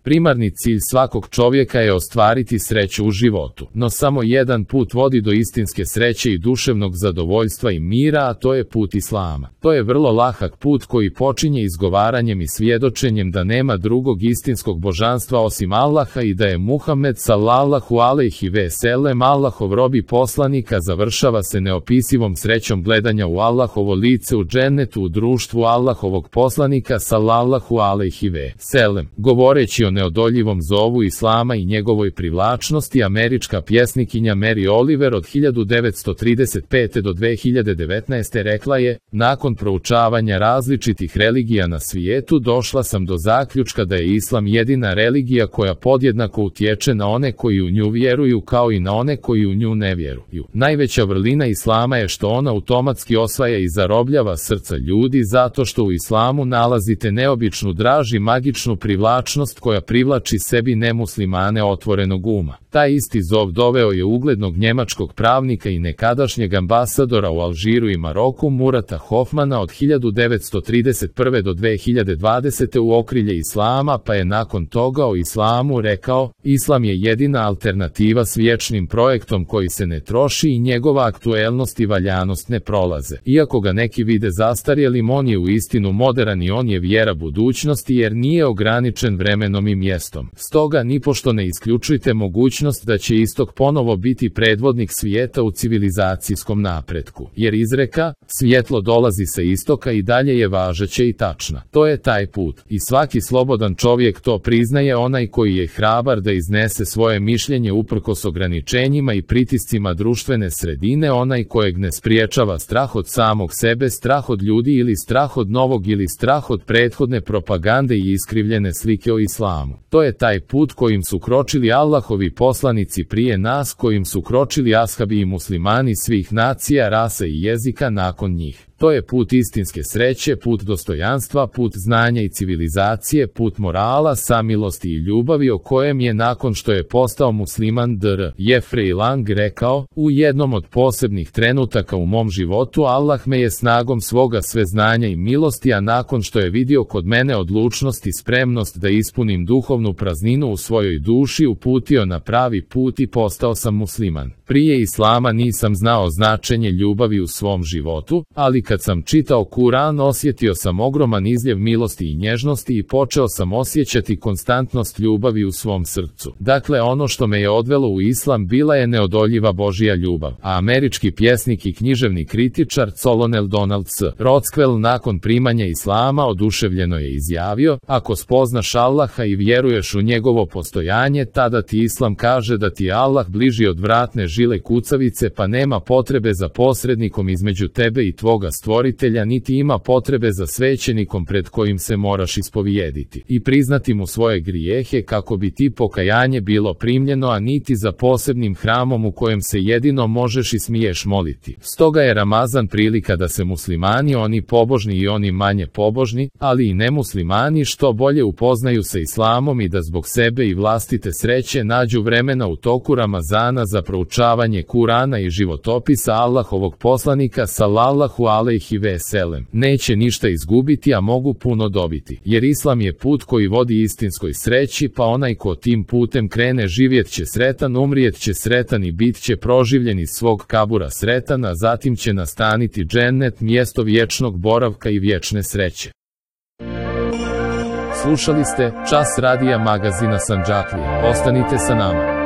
Primarni cilj svakog čovjeka je ostvariti sreću u životu, no samo jedan put vodi do istinske sreće i duševnog zadovoljstva i mira, a to je put Islama. To je vrlo lahak put koji počinje izgovaranjem i svjedočenjem da nema drugog istinskog božanstva osim Allaha i da je Muhammed sallallahu alejhi ve sellem Allahov rob i poslanik, a završava se neopisivom srećom gledanja u Allahovo lice u džennetu u društvu Allahovog poslanika sallallahu alejhi ve sellem. Govoreći o neodoljivom zovu Islama i njegovoj privlačnosti, američka pjesnikinja Mary Oliver od 1935. do 2019. rekla je: nakon proučavanja različitih religija na svijetu došla sam do zaključka da je Islam jedina religija koja podjednako utječe na one koji u nju vjeruju kao i na one koji u nju ne vjeruju. Najveća vrlina Islama je što ona automatski osvaja i zarobljava srca ljudi zato što u Islamu nalazite neobičnu draž i magičnu privlačnost koja privlači sebi nemuslimane otvorenog uma. Taj isti zov doveo je uglednog njemačkog pravnika i nekadašnjeg ambasadora u Alžiru i Maroku Murata Hofmana od 1931. do 2020. u okrilje Islama, pa je nakon toga o Islamu rekao: Islam je jedina alternativa s vječnim projektom koji se ne troši i njegova aktuelnost i valjanost ne prolaze. Iako ga neki vide zastarjelim, on je uistinu moderan i on je vjera budućnosti jer nije ograničen vremenom i mjestom. Stoga nipošto ne isključujte mogućnost da će istok ponovo biti predvodnik svijeta u civilizacijskom napretku. Jer izreka svjetlo dolazi sa istoka i dalje je važeća i tačna. To je taj put. I svaki slobodan čovjek to priznaje, onaj koji je hrabar da iznese svoje mišljenje uprkos ograničenjima i pritiscima društvene sredine, onaj kojeg ne spriječava strah od samog sebe, strah od ljudi ili strah od novog ili strah od prethodne propagande i iskrivljene slike o islamu. To je taj put kojim su kročili Allahovi poslanici prije nas, kojim su kročili ashabi i muslimani svih nacija, rasa i jezika nakon njih. To je put istinske sreće, put dostojanstva, put znanja i civilizacije, put morala, samilosti i ljubavi o kojem je nakon što je postao musliman dr. Jeffrey Lang rekao: u jednom od posebnih trenutaka u mom životu Allah me je snagom svoga sveznanja i milosti, a nakon što je vidio kod mene odlučnost i spremnost da ispunim duhovnu prazninu u svojoj duši, uputio na pravi put i postao sam musliman. Prije Islama nisam znao značenje ljubavi u svom životu, ali kad sam čitao Kuran osjetio sam ogroman izljev milosti i nježnosti i počeo sam osjećati konstantnost ljubavi u svom srcu. Dakle, ono što me je odvelo u Islam bila je neodoljiva Božja ljubav. A američki pjesnik i književni kritičar Colonel Donald C. Rothwell nakon primanja Islama oduševljeno je izjavio: ako spoznaš Allaha i vjeruješ u njegovo postojanje, tada ti Islam kaže da ti je Allah bliži od vratne žile kucavice, pa nema potrebe za posrednikom između tebe i tvoga stvoritelja, niti ima potrebe za svećenikom pred kojim se moraš ispovijediti i priznati mu svoje grijehe kako bi ti pokajanje bilo primljeno, a niti za posebnim hramom u kojem se jedino možeš i smiješ moliti. Stoga je Ramazan prilika da se muslimani, oni pobožni i oni manje pobožni, ali i nemuslimani, što bolje upoznaju sa Islamom i da zbog sebe i vlastite sreće nađu vremena u toku Ramazana za proučavanje Kurana i životopisa Allahovog poslanika sallallahu alejhi ve sellem. Neće ništa izgubiti, a mogu puno dobiti. Jer Islam je put koji vodi istinskoj sreći, pa onaj ko tim putem krene živjet će sretan, umrijet će sretan i bit će proživljen iz svog kabura sretan, a zatim će nastaniti džennet, mjesto vječnog boravka i vječne sreće. Slušali ste Čas radija magazina Sandžaklija. Ostanite sa nama.